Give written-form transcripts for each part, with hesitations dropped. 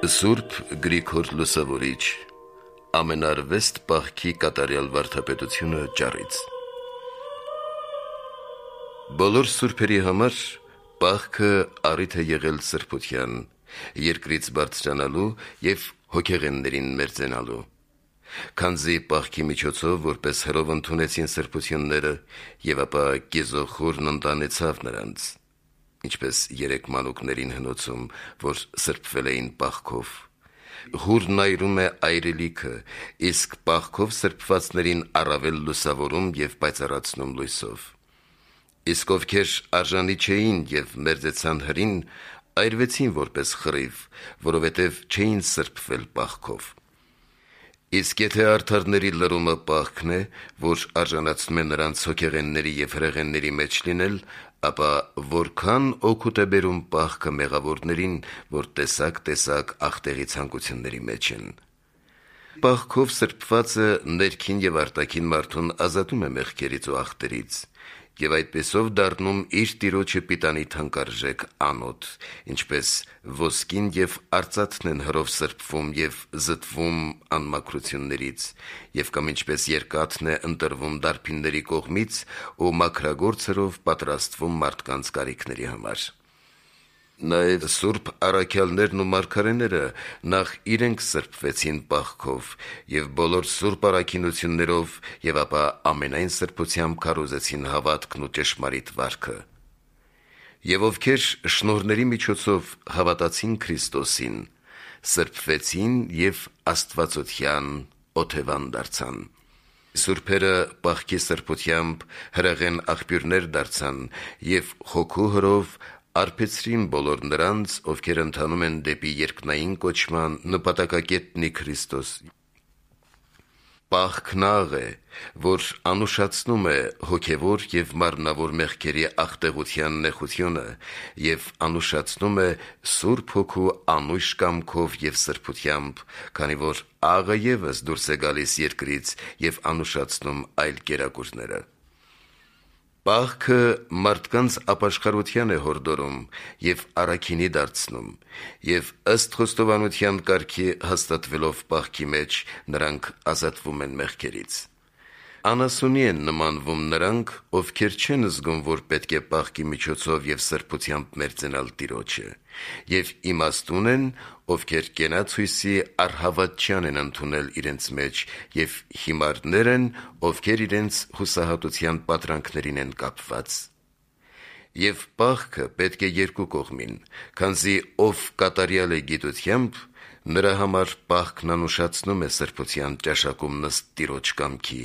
Սուրբ Գրիգոր Լուսավորիչ, ամենարվեստ պահքի կատարյալ վարդապետությունը ճառից։ Բոլոր սուրբերի համար պահքը առիթ է եղել սրբության, երկրից բարձրանալու և հոգեղեններին մերձենալու։ Քանզի պահքի միջոցով որպես հրով ընդունեցին սրբությունները, և ապա կեզոխորն ընտանեցավ նրանց, ինչպես 3 մանուկներին հնոցում, որ սրբվել էին պահքով։ Հուրն այրում է այրելիքը, իսկ պահքով սրբվածներին առավել լուսավորում և պայծառացնում լույսով։ Իսկ ովքեր արժանի չէին և մերձեցան հրին, այրվեցին որպես խռիվ, որովհետև չէին սրբվել պահքով։ Իսկ եթե արդարների լրումը պահքն է, որ արժանացնում է նրանց հոգեղենների և հրեղենների մեջ լինել, ապա որքան օգուտ է բերում պահքը մեղավորներին, որ տեսակ ախտեղի ցանկությունների մեջ են։ Պահքով սրբվածը ներքին և արտաքին մարդուն ազատում է մեղքերից ու ախտերից, և այդպիսով դառնում իր Տիրոջը պիտանի թանկարժեք անոթ, ինչպես ոսկին և արծաթն են հրով սրբվում և զտվում անմաքրություններից, և կամ ինչպես երկաթն է ընտրվում դարբինների կողմից ու մաքրագործ հրով պատրաստվում մարդկանց կարիքների համար։ Նաև սուրբ առաքյալներն ու մարգարեները նախ իրենք սրբվեցին պահքով և բոլոր սուրբ առաքինություններով և ապա ամենայն սրբությամբ քարոզեցին հավատքն ու ճշմարիտ վարքը։ Եվ ովքեր շնորհների միջոցով հավատացին Քրիստոսին, սրբվեցին և աստվածության օթևան դարձան։ Սուրբերը պահքի սրբությամբ հրեղեն աղբյուրներ դարձան և հոգու հրով արբեցրին բոլոր նրանց, ովքեր ընթանում են դեպի երկնային կոչման նպատակակետնի Քրիստոսի։ Պահքն աղ է, որ անուշացնում է հոգևոր և մարմնավոր մեղքերի ախտեղության նեխությունը և անուշացնում է Սուրբ Հոգու անույշ կամքով և սրբությամբ, քանի որ աղը ևս դուրս է գալիս երկրից և անուշացնում այլ կերակուրները։ Պահքը մարդկանց ապաշխարության է հորդորում և առաքինի դարձնում, և ըստ խոստովանության կարգի հաստատվելով պահքի մեջ, նրանք ազատվում են մեղքերից։ Անասունի են նմանվում նրանք, ովքեր չեն զգում, որ պետք է պահքի միջոցով և սրբությամբ մերձենալ Տիրոջը, և իմաստուն են, ովքեր կենաց հույսի առհավատչյան են ընդունել իրենց մեջ, և հիմարներ են, ովքեր իրենց հուսահատության պատրանքներին են կապված։ Եվ պահքը պետք է երկու կողմին, քանզի ով կատարյալ է գիտությամբ, նրա համար պահքն անուշացնում է սրբության ճաշակումն ըստ Տիրոջ կամքի,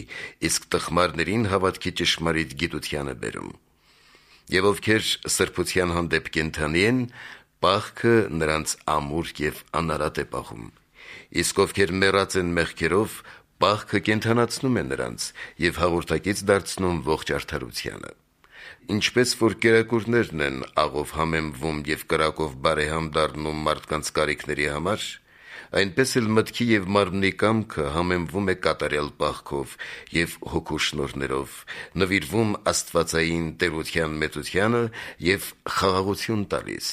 իսկ տխմարներին հավատքի ճշմարիտ գիտության է բերում։ Եվ ովքեր սրբության հանդեպ կենդանի են, պահքը նրանց ամուր և անարատ է պահում, իսկ ովքեր մեռած են մեղքերով, պահքը կենդանացնում է նրանց և հաղորդակից դարձնում ողջ արդարությանը։ Ինչպես որ կերակուրներն են աղով համեմվում և կրակով բարեհամ դառնում մարդկանց կարիքների համար, այնպես էլ մտքի և մարմնի կամքը համեմվում է կատարյալ պահքով և հոգու շնորհներով, նվիրվում աստվածային տերության մեծությանը և խաղաղություն տալիս։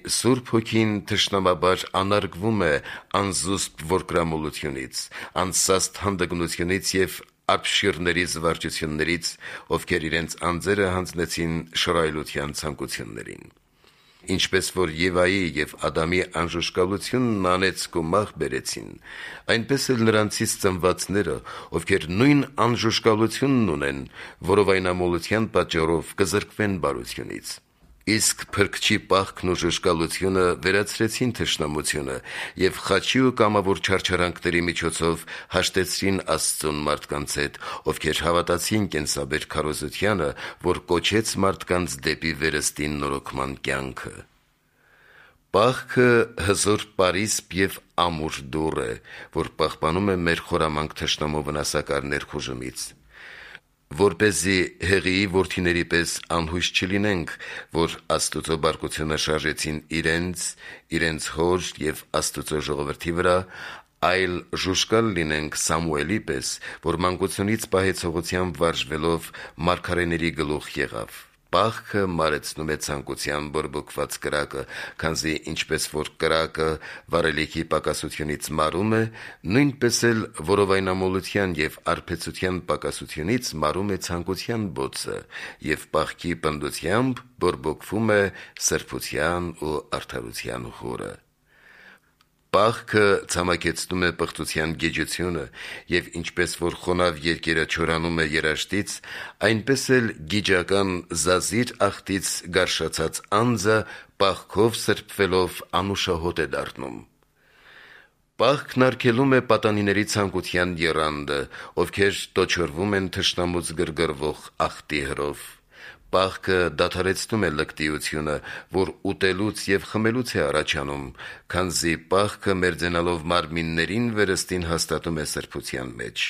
Սուրբ Հոգին թշնամաբար անարգվում է անզուսպ որդկրամոլությունից, անսաստ հանդգնությունից և ապշիրների զվարճություններից, ովքեր իրենց անձերը հանձնեցին շռայլության ցանկություններին։ Ինչպես որ Եվայի և Ադամի անժուշկալությունն անեծք ու մահ բերեցին, այնպես էլ նրանցից ծնվածները, ովքեր նույն անժուշկալությունն ունեն, որովայնամոլության պատճառով կզրկվեն բարությունից։ Իսկ Փրկչի պահքն ու ժուշկալությունը վերացրեցին թշնամությունը և խաչի ու կամավոր չարչարանքների միջոցով հաշտեցրին Աստծուն մարդկանց հետ, ովքեր հավատացին կենսաբեր քարոզությանը, որ կոչեց մարդկանց դեպի վերստին նորոգման կյանքը։ Պահքը հզոր պարիսպ և ամուր դուռ է, որ պահպանում է մեր խորամանկ թշնամու վնասակար ներխուժումից, որպեսզի Հեղիի որդիների պես անհույս չլինենք, որ Աստուծո բարկությունը շարժեցին իրենց հոր և Աստուծո ժողովրդի վրա, այլ ժուշկալ լինենք Սամուելի պես, որ մանկությունից պահեցողությամբ վարժվելով մարգարեների գլուխ եղավ։ պահքը մարեցնում է ցանկության բորբոքված կրակը, քանզի ինչպես որ կրակը վարելիքի պակասությունից մարում է, նույնպես էլ որովայնամոլության եւ արբեցության պակասությունից մարում է ցանկության բոցը, եւ պահքի պնդությամբ բորբոքվում է սրբության ու արդարության խորը։ Պահքը ցամաքեցնում է պղծության գիջությունը, եւ ինչպես որ խոնավ երկերը չորանում է երաշտից, այնպես էլ գիջական զազիր աղտից գարշացած անձը պահքով սրբվելով անուշահոտ է դառնում։ Պահքն արգելում է պատանիների ցանկության եռանդը, ովքեր տոչորվում են թշնամուց գրգռվող աղտի հրով։ Պահքը դադարեցնում է լկտիությունը, որ ուտելուց եւ խմելուց է առաջանում, քանզի պահքը մերձենալով մարմիններին վերստին հաստատում է սրբության մեջ։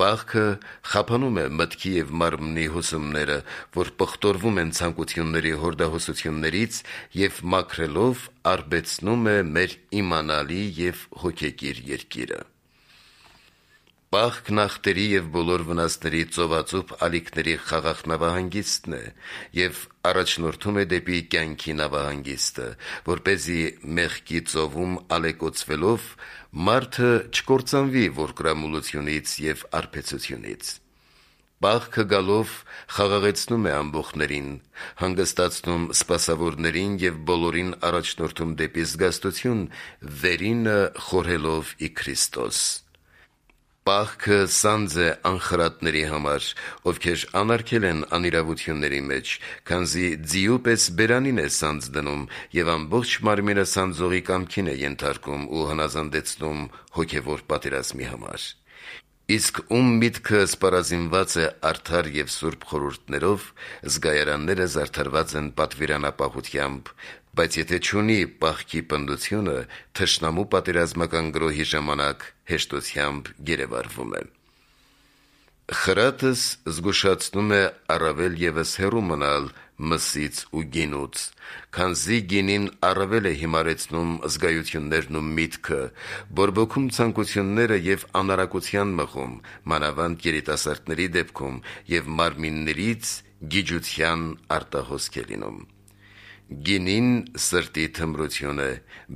Պահքը խափանում է մտքի եւ մարմնի հուսումները, որ պղտորվում են ցանկությունների հորդահոսություններից եւ մաքրելով արբեցնում է մեր իմանալի եւ հոգեկիր երկիրը։ Պահքն ախտերի եւ բոլոր վնասների ծովածուփ ալիքների խաղաղ նավահանգիստն է եւ առաջնորդում է դեպի կյանքի նավահանգիստը, որպեսզի մեղքի ծովում ալեկոծվելով մարդը չկործանվի ворկրամոլությունից եւ արբեցությունից։ Պահքը գալով խաղաղեցնում է ամբոխներին, հանգստացնում սպասավորներին եւ բոլորին առաջնորդում դեպի զգաստություն, վերինը խորհելով ի Քրիստոս։ Պահքը սանձ է անխրատների համար, ովքեր անարգել են անիրավությունների մեջ, քանզի ձիու պես բերանին է սանձ դնում եւ ամբողջ մարմինը սանձողի կամքին է ենթարկում ու հնազանդեցնում հոգեվոր պատերազմի համար։ Իսկ ում միտքը սպառազինված է արդար եւ սուրբ խորհուրդներով, զգայարանները զարդարված են պատվիրանապահությամբ, բայց եթե չունի պահքի պնդությունը, թշնամու պատերազմական գրոհի ժամանակ հեշտությամբ գերեվարվում է։ Խրատս զգուշացնում է առավել եւս հեռու մնալ մսից ու գինուց, քանզի գինին առավել է հիմարեցնում զգայություններն ու միտքը, բորբոքում ցանկությունները եւ անարակության մղում, մանավանդ երիտասարդների դեպքում, եւ մարմիններից գիջության արտահոսք է լինում։ Գինին սրտի թմրություն է,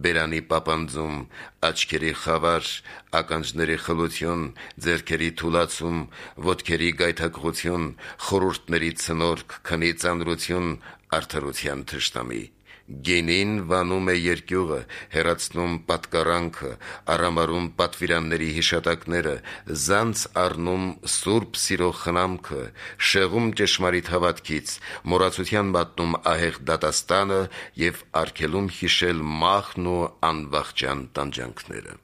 բերանի պապանձում, աչքերի խավար, ականջների խլություն, ձեռքերի թուլացում, ոտքերի գայթակղություն, խորհուրդների ցնորք, քնի ծանրություն, արդարության թշնամի։ Գինին վանում է երկյուղը, հեռացնում պատկառանքը, արամարում պատվիրանների հիշատակները, զանց առնում սուրբ սիրո խնամքը, շեղում ճշմարիտ հավատքից, մոռացության մատնում ահեղ դատաստանը եւ արգելում հիշել մահն ու անվախճան տանջանքները։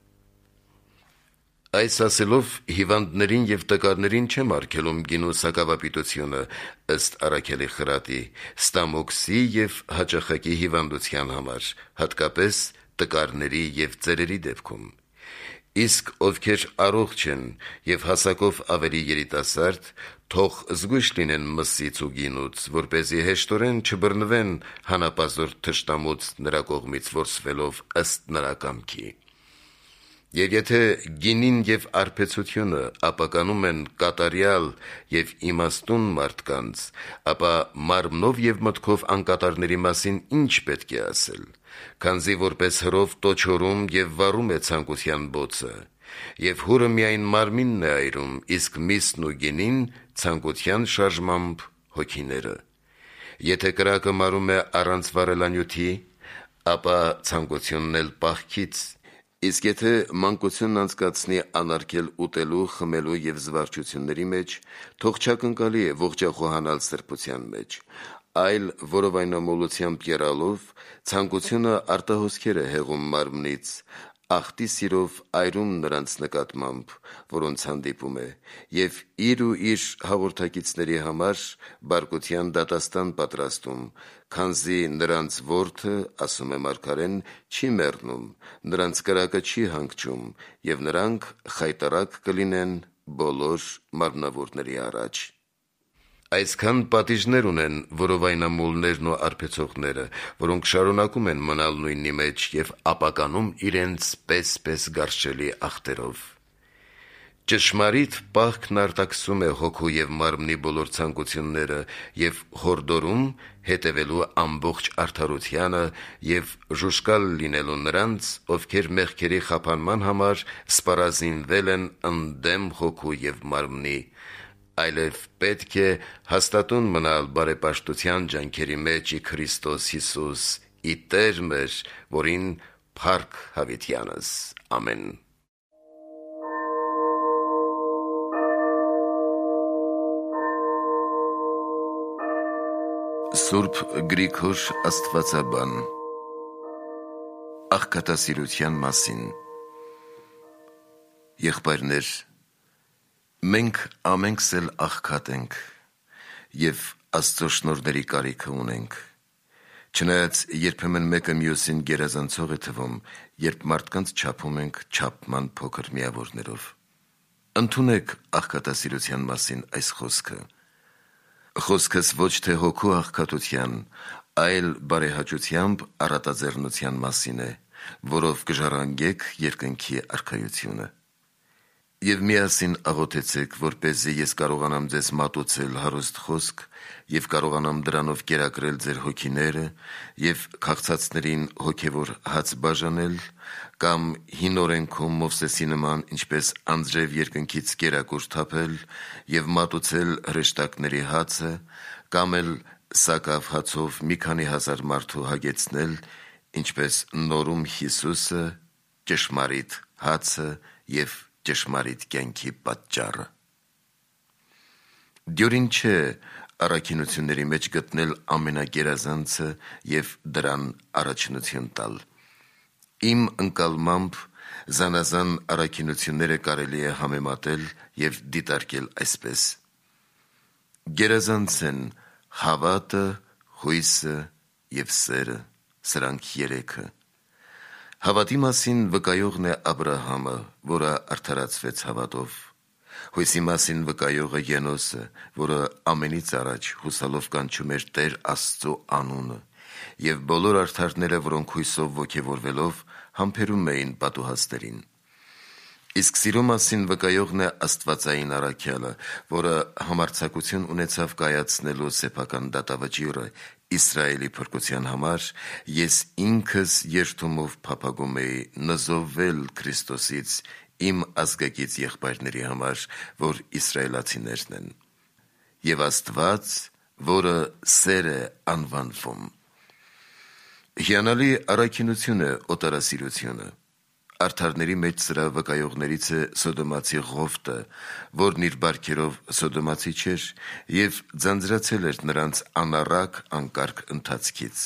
Այս ասելով հիվանդներին եւ տկարներին չեմ արգելում գինու սակավապիտությունը, ըստ Առաքելի խրատի, ստամոքսի եւ հաճախակի հիվանդության համար, հատկապես տկարների եւ ծերերի դեպքում։ Իսկ ովքեր առողջ են եւ հասակով ավելի երիտասարդ, թող զգույշ լինեն մսից ու գինուց, որպեսզի հեշտորեն չբռնվեն հանապազորդ թշնամուց նրա կողմից որսվելով ըստ նրա կամքի։ Եվ եթե գինին եւ արբեցությունը ապականում են կատարյալ եւ իմաստուն մարդկանց, ապա մարմնով եւ մտքով անկատարների մասին ինչ պետք է ասել, քանզի որպես հրով տոչորում եւ վառում է ցանկության բոցը, եւ հուրը միայն մարմինն է այրում, իսկ միսն ու գինին ցանկության շարժմամբ հոգիները։ Եթե կրակը մարում է առանց վառելանյութի, ապա ցանկությունն էլ պահքից։ Իսկ եթե մանկությունն անցկացնի անարգել ուտելու, խմելու եւ զվարճությունների մեջ, թող չակնկալի է ողջախոհանալ սրբության մեջ, այլ որովայնամոլությամբ եռալով ցանկությունը արտահոսքեր է հեղում մարմնից, աղտի սիրով այրում նրանց նկատմամբ, որոնց հանդիպում է, եւ իր ու իր հաղորդակիցների համար բարկության դատաստան պատրաստում, քանզի նրանց որդը, ասում է մարգարեն, չի մեռնում, նրանց կրակը չի հանգչում, եւ նրանք խայտառակ կլինեն բոլոր մարմնավորների առաջ։ Այսքան պատիժներ ունեն որովայնամոլներն ու արբեցողները, որոնք շարունակում են մնալ նույնի մեջ եւ ապականում իրենց պես գարշելի ախտերով։ Ճշմարիտ պահքն արտաքսում է հոգու և մարմնի բոլոր ցանկությունները և հորդորում հետևելու ամբողջ արդարությանը և ժուժկալ լինելու նրանց, ովքեր մեղքերի խափանման համար սպառազինվել են ընդդեմ հոգու և մարմնի, այլև պետք է հաստատուն մնալ բարեպաշտության ջանքերի մեջ ի Քրիստոս Հիսուս, ի Տեր մեր, որին փառք հավիտյանս։ Ամեն։ Սուրբ Գրիգոր Աստվածաբան աղքատասիրության մասին։ Եղբայրներ, մենք ամենքս էլ աղքատ ենք և Աստծո շնորհների կարիքը ունենք, չնայած երբեմն մեկը մյուսին գերազանցող է թվում, երբ մարդկանց չափում ենք չափման փոքր միավորներով։ Ընդունեք աղքատասիրության մասին այս խոսքը. Խոսքս ոչ թե հոգու աղքատության, այլ բարեհաճությամբ առատաձեռնության մասին է, որով կժառանգեք երկնքի արքայությունը։ Եվ միասին աղոթեցեք, որպեսզի ես կարողանամ ձեզ մատուցել հարուստ խոսք և կարողանամ դրանով կերակրել ձեր հոգիները և քաղցածներին հոգևոր հաց բաժանել, կամ հին օրենքում Մովսեսի նման ինչպես անձրև երկնքից կերակուր թափել և մատուցել հրեշտակների հացը, կամ էլ սակավ հացով մի քանի հազար մարդու հագեցնել, ինչպես նորում Հիսուսը, ճշմարիտ հացը և ճշմարիտ կյանքի պատճառը։ Դյուրին չէ առաքինությունների մեջ գտնել ամենագերազանցը և դրան առաջնություն տալ։ Իմ ընկալմամբ զանազան առաքինությունները կարելի է համեմատել և դիտարկել այսպես. գերազանց են հավատը, հույսը և սերը, սրանք երեքը։ Հավատի մասին վկայողն է Աբրահամը, որը արդարացվեց հավատով։ Հույսի մասին վկայողը Ենոսը, որը ամենից առաջ հուսալով կանչում էր Տեր Աստծո անունը, և բոլոր արդարները, որոնք հույսով ոգևորվելով համբերում էին պատուհասներին։ Իսկ սիրո մասին վկայողն է Աստվածային առաքյալը, որը համարձակություն ունեցավ կայացնելու սեփական դատավճիռը Իսրայելի փրկության համար, ես ինքս երդումով փափագում էի նզովվել Քրիստոսից իմ ազգակից եղբայրների համար, որ իսրայելացիներն են։ Եվ Աստված, որը սեր է անվանվում։ Հիանալի առաքինություն է օտարասիրությունը։ Արդարների մեջ սրա վկայողներից է Սոդոմացի Ղովտը, որն իր բարքերով Սոդոմացի չէր և ձանձրացել էր նրանց անառակ անկարգ ընթացքից։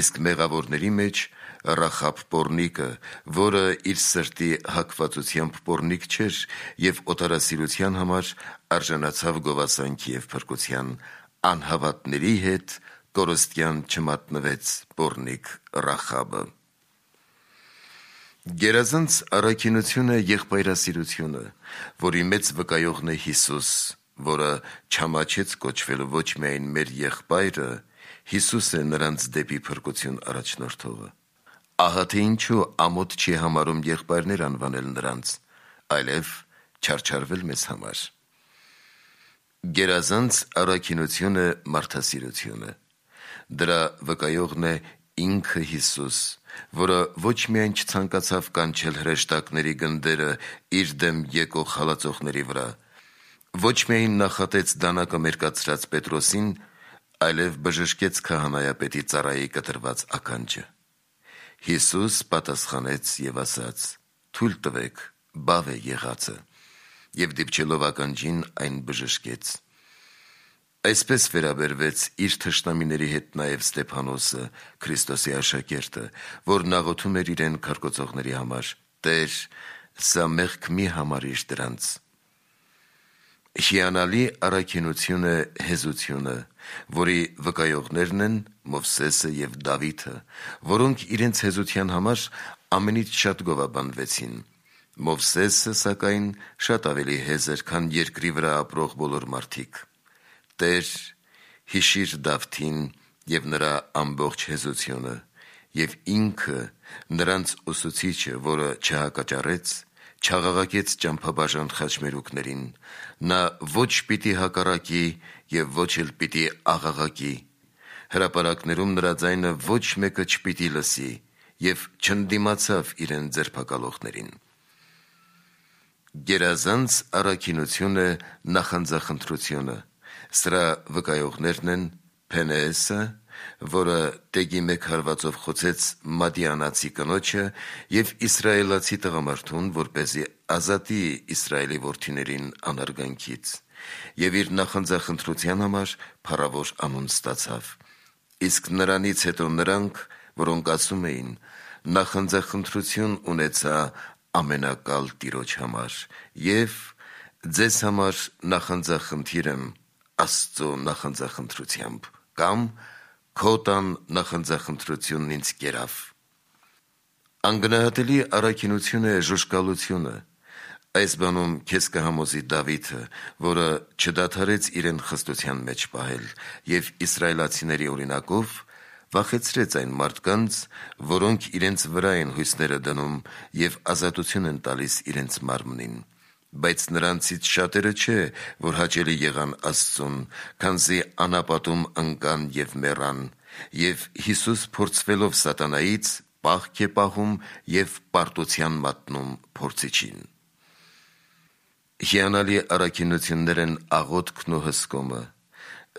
Իսկ մեղավորների մեջ Ռախաբ պոռնիկը, որը իր սրտի հակվածությամբ պոռնիկ չէր և օտարասիրության համար արժանացավ գովասանքի և փրկության, անհավատների հետ կորստյան չմատնվեց պոռնիկ Ռախաբը։ Գերազանց առաքինությունը եղբայրասիրությունը, որի մեծ վկայողն է Հիսուս, որը չամաչեց կոչվելու ոչ միայն մեր եղբայրը, Հիսուս է նրանց դեպի փրկություն առաջնորդողը։ Ահա թե ինչու ամոթ չի համարում եղբայրներ անվանել նրանց, այլև չարչարվել մեզ համար։ Գերազանց առաքինությունը մարդասիրությունը։ Դրա վկայողն է ինքը Հիսուս, որը ոչ միայն չցանկացավ կանչել հրեշտակների գնդերը իր դեմ եկող հալածողների վրա, ոչ միայն նախատեց դանակը մերկացրած Պետրոսին, այլև բժշկեց քահանայապետի ծառայի կտրված ականջը։ Հիսուս պատասխանեց և ասաց. «Թույլ տվեք, բավ է եղածը», և դիպչելով ականջին այն բժշկեց։ Այսպես վերաբերվեց իր թշնամիների հետ նաև Ստեփանոսը, Քրիստոսի աշակերտը, որն աղոթում էր իրեն քարկոծողների համար. «Տե՛ր, սա մեղք մի համարիր դրանց»։ Հիանալի առաքինություն է հեզությունը, որի վկայողներն են Մովսեսը և Դավիթը, որոնք իրենց հեզության համար ամենից շատ գովաբանվեցին։ Մովսեսը, սակայն, շատ ավելի հեզր, քան երկրի վրա ապրող բոլոր մարդիկ։ Տե՛ր, հիշիր Դավթին և նրա ամբողջ հեզությունը, և ինքը նրանց ուսուցիչը, որը չհակաճառեց, չաղաղակեց ճամփաբաժան խաչմերուկներին, նա ոչ պիտի հակառակի եւ ոչ էլ պիտի աղաղակի, հրապարակներում նրա ձայնը ոչ մեկը չպիտի լսի եւ չընդդիմացավ իրեն ձերբակալողներին։ Գերազանց առաքինությունը նախանձախնդրությունը, սրա վկայողներն են Փենեեսը, որը տեգի մեկ հարվածով խոցեց մադիանացի կնոջը եւ իսրայելացի տղամարդուն, որպեսզի ազատի Իսրայելի որդիներին անարգանքից, եւ իր նախանձախնդրության համար փառավոր անուն ստացավ։ Իսկ նրանից հետո նրանք, որոնք ասում էին, նախանձախնդրություն ունեցա ամենակալ Տիրոջ համար, եւ ձեզ համար նախանձախնդիր եմ Աստծո նախանձախնդրությամբ, կամ քո տան նախանձախնդրությունն ինձ կերավ։ Անգնահատելի առաքինություն է ժուժկալությունը։ Այս բանում քեզ կհամոզի Դավիթը, որը չդադարեց իրեն խստության մեջ պահել եւ իսրայելացիների օրինակով վախեցրեց այն մարդկանց, որոնք իրենց վրա են հույսները դնում եւ ազատություն են տալիս իրենց մարմնին, բայց նրանցից շատերը չէ, որ հաճելի եղան Աստծուն, քանզի անապատում ընկան եւ մեռան, եւ Հիսուս փորձվելով սատանայից պահք է պահում եւ պարտության մատնում փորձիչին։ Հիանալի առաքինություններ են աղոթքն ու հսկումը,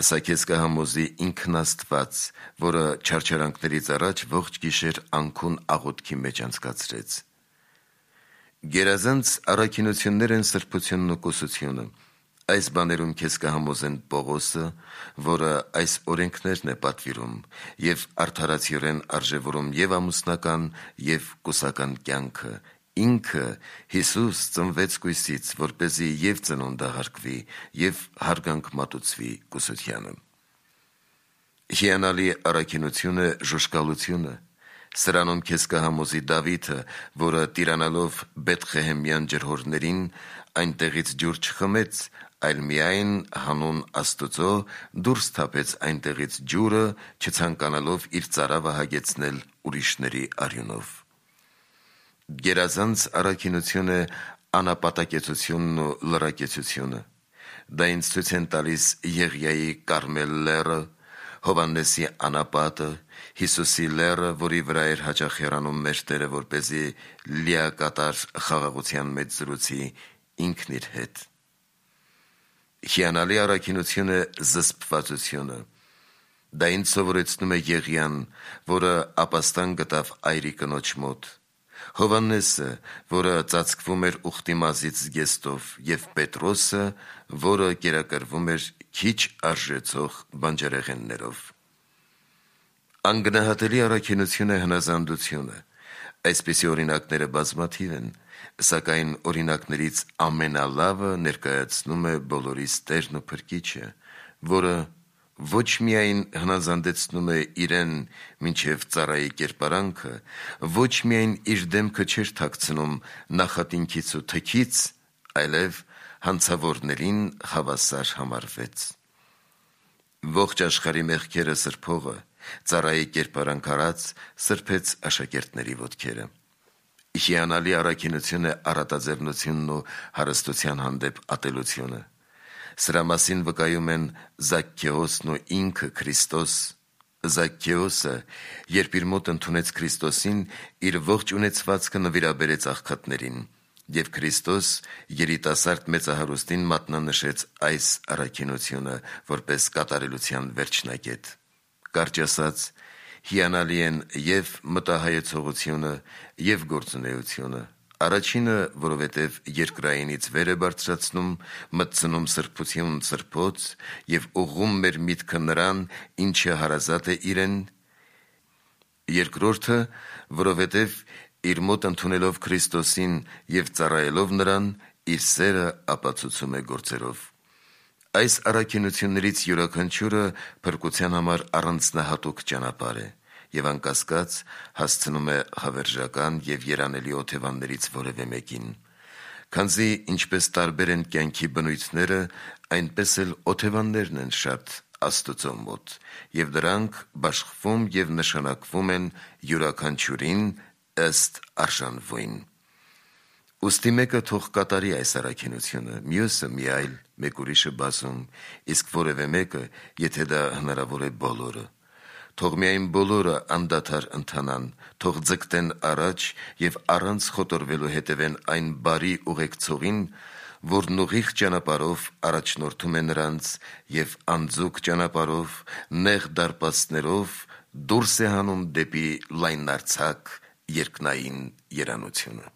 սա քեզ կհամոզի ինքն Աստված, որը չարչարանքներից առաջ ողջ գիշեր անքուն աղոթքի մեջ անցկացրեց։ Գերազանց առաքինություններ են սրբությունն ու կուսությունը։ Այս բաներում քեզ կհամոզեն Պողոսը, որը այս օրենքներն է պատվիրում եւ արդարացիորեն արժեվորում եւ ամուսնական եւ կուսական կյանքը, ինքը Հիսուս ծնվեց կույսից, որպեսզի եւ ծնունդը հարգվի եւ հարգանք մատուցվի կուսությանը։ Հիանալի առաքինությունը ժուժկալությունը։ Սրանում քեզ կհամոզի Դավիթը, որը տիրանալով Բեթխեհեմյան ջրհորներին այնտեղից ջուր չխմեց, այլ միայն հանուն Աստծո դուրս թափեց այնտեղից ջուրը, չցանկանալով իր ծարավը հագեցնել ուրիշների արյունով։ Գերազանց առաքինությունը անապատակեցությունն ու լրակեցությունը։ Դա ինձ ցույց են տալիս Եղիայի Կարմել լեռը, Հովհաննեսի անապատը, Հիսուսի լեռը, որի վրա էր հաճախ հեռանում մեր Տերը, որպեսզի լիակատար խաղաղության մեջ զրուցի ինքն իր հետ։ Հիանալի առաքինությունը զսպվածությունը։ Դա ինձ սովորեցնում է Եղիան, որը ապաստան գտավ այրի կնոջ մոտ, Հովհաննեսը, որը ծածկվում էր ուխտի մազից զգեստով, եւ Պետրոսը, որը կերակրվում էր քիչ արժեցող բանջարեղեններով։ Անգնահատելի առաքինություն է հնազանդությունը։ Այսպիսի օրինակները բազմաթիվ են, սակայն օրինակներից ամենալավը ներկայացնում է բոլորիս Տերն ու Փրկիչը, որը ոչ միայն հնազանդեցնում է իրեն մինչև ծառայի կերպարանքը, ոչ միայն իր դեմքը չէր թաքցնում նախատինքից ու թքից, այլև հանցավորներին հավասար համարվեց։ Ողջ աշխարհի մեղքերը սրբողը, ծառայի կերպարանք արած, սրբեց աշակերտների ոտքերը։ Հիանալի առաքինություն է առատաձեռնությունն ու հարստության հանդեպ ատելությունը։ Սրա մասին վկայում են Զաքքեոսն ու ինքը Քրիստոս։ Զաքքեոսը, երբ իր մոտ ընդունեց Քրիստոսին, իր ողջ ունեցվածքը նվիրաբերեց աղքատներին, եւ Քրիստոս երիտասարդ մեծահարուստին մատնանշեց այս առաքինությունը որպես կատարելության վերջնակետ։ Կարճ ասած, հիանալի են եւ մտահայեցողությունը, եւ գործունեությունը։ Առաջինը, որովհետև երկրայինից վեր է բարձրացնում, մտցնում սրբություն սրբոց եւ ուղղում մեր միտքը նրան, ինչը հարազատ է իրեն։ Երկրորդը, որովհետև իր մոտ ընդունելով Քրիստոսին եւ ծառայելով նրան, իր սերը ապացուցում է գործերով։ Այս առաքինություններից յուրաքանչյուրը փրկության համար առանձնահատուկ ճանապարհ է եւ անկասկած հասցնում է հավերժական եւ երանելի օթևաններից որևէ մեկին, քանզի ինչպես տարբեր են կյանքի բնույթները, այնպես էլ օթևաններն են շատ Աստծո մոտ, եւ դրանք բաշխվում եւ նշանակվում են յուրաքանչյուրին ըստ արժանվույն։ Ուստի մեկը թող կատարի այս առաքինությունը, մյուսը մի այլ, մեկ ուրիշը բացում, իսկ որևէ մեկը, եթե դա հնարավոր է, բոլորը։ Թող միայն բոլորը անդադար ընթանան, թող ձգտեն առաջ և առանց խոտորվելու հետևեն այն բարի ուղեկցողին, որն ուղիղ ճանապարհով առաջնորդում է նրանց և անձուկ ճանապարհով, նեղ դարպասներով դուրս է հանում դեպի լայնարձակ երկնային երանությունը։